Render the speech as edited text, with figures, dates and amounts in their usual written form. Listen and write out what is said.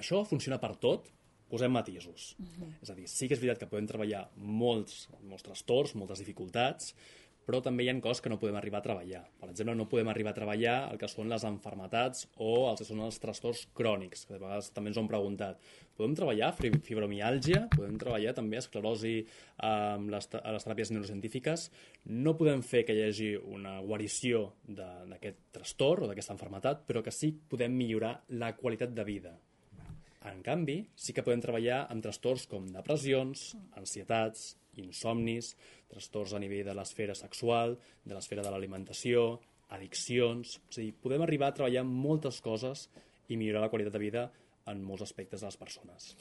això funciona per tot? Posem matisos. És a dir, sí que és veritat que podem treballar molts trastorns, moltes dificultats, però també hi ha coses que no podem arribar a treballar. Per exemple, no podem arribar a treballar el que són les malalties o els que són els trastorns crònics, que de vegades també ens ho han preguntat. Podem treballar fibromiàlgia, podem treballar també esclerosi amb les teràpies neurocientífiques. No podem fer que hi hagi una guarició d'aquest trastorn o d'aquesta malaltia, però que sí que podem millorar la qualitat de vida. En canvi, sí que podem treballar amb trastorns com depressions, ansietats, insomnis, trastorns a nivell de l'esfera sexual, de l'esfera de l'alimentació, addiccions... És a dir, podem arribar a treballar amb moltes coses i millorar la qualitat de vida en molts aspectes de les persones.